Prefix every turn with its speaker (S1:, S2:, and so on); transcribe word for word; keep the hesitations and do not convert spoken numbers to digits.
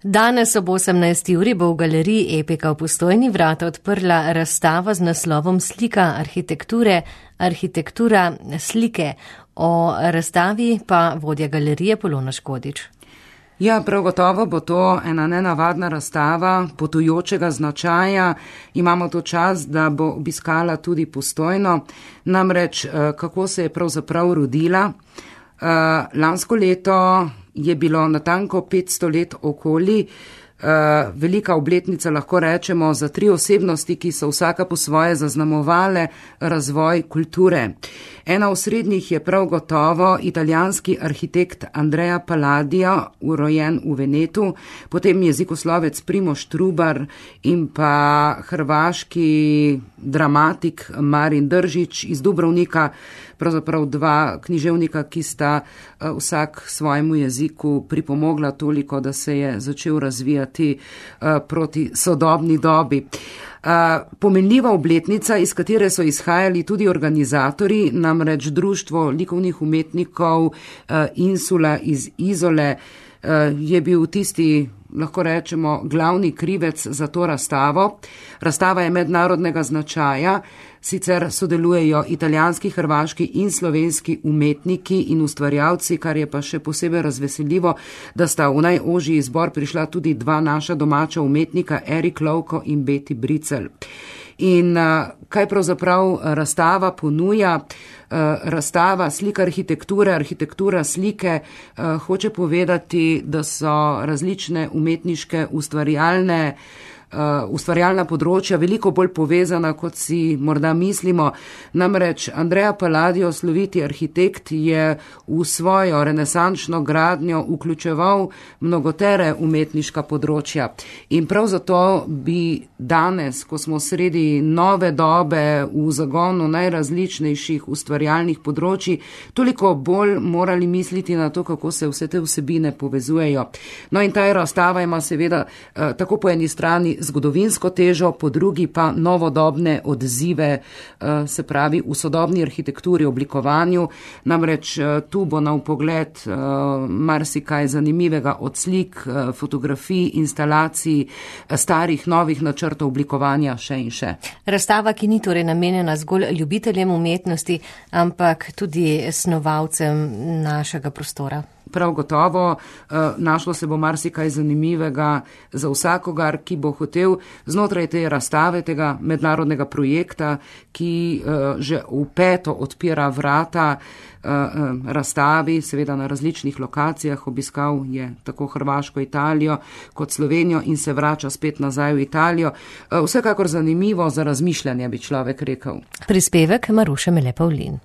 S1: Danes ob osemnajsti uri bo v galeriji Epika v Postojni vrata odprla razstava z naslovom Slika arhitekture, arhitektura slike. O razstavi pa vodja galerije Polona Škodič.
S2: Ja, prav gotovo bo to ena nenavadna razstava potujočega značaja. Imamo to čas, da bo obiskala tudi Postojno. Namreč, kako se je pravzaprav rodila. Lansko leto je bilo natanko petsto let okoli, velika obletnica, lahko rečemo, za tri osebnosti, ki so vsaka po svoje zaznamovale razvoj kulture. Ena osrednjih je prav gotovo italijanski arhitekt Andrea Palladio, urojen v Venetu, potem jezikoslovec Primož Trubar in pa hrvaški dramatik Marin Držić iz Dubrovnika, pravzaprav dva književnika, ki sta vsak svojemu jeziku pripomogla toliko, da se je začel razvijati proti sodobni dobi. Pomenljiva obletnica, iz katere so izhajali tudi organizatori, namreč Društvo likovnih umetnikov Insula iz Izole, je bil tisti, lahko rečemo, glavni krivec za to razstavo. Razstava je mednarodnega značaja, sicer sodelujejo italijanski, hrvaški in slovenski umetniki in ustvarjalci, kar je pa še posebej razveseljivo, da sta v najožji izbor prišla tudi dva naša domača umetnika, Erik Lovko in Beti Bricel. In kaj pravzaprav razstava ponuja? Razstava Slika arhitekture, arhitektura slike hoče povedati, da so različne umetniške ustvarjalne Uh, ustvarjalna področja veliko bolj povezana, kot si morda mislimo. Namreč Andrea Palladio, sloviti arhitekt, je v svojo renesančno gradnjo vključeval mnogotere umetniška področja. In prav zato bi danes, ko smo sredi nove dobe v zagonu najrazličnejših ustvarjalnih področji, toliko bolj morali misliti na to, kako se vse te vsebine povezujejo. No in ta razstava ima seveda uh, tako po eni strani zgodovinsko težo, po drugi pa novodobne odzive, se pravi v sodobni arhitekturi, oblikovanju. Namreč tu bo na vpogled marsikaj zanimivega od slik, fotografij, instalacij, starih, novih načrtov oblikovanja še in še.
S1: Razstava, ki ni torej namenjena zgolj ljubiteljem umetnosti, ampak tudi snovalcem našega prostora.
S2: Prav gotovo, našlo se bo marsikaj zanimivega za vsakogar, ki bo hotel znotraj te razstave, tega mednarodnega projekta, ki že v peto odpira vrata razstavi, seveda na različnih lokacijah. Obiskal je tako Hrvaško, Italijo kot Slovenijo in se vrača spet nazaj v Italijo. Vsekakor zanimivo za razmišljanje, bi človek rekel.
S1: Prispevek Maruše Mele Pavlin.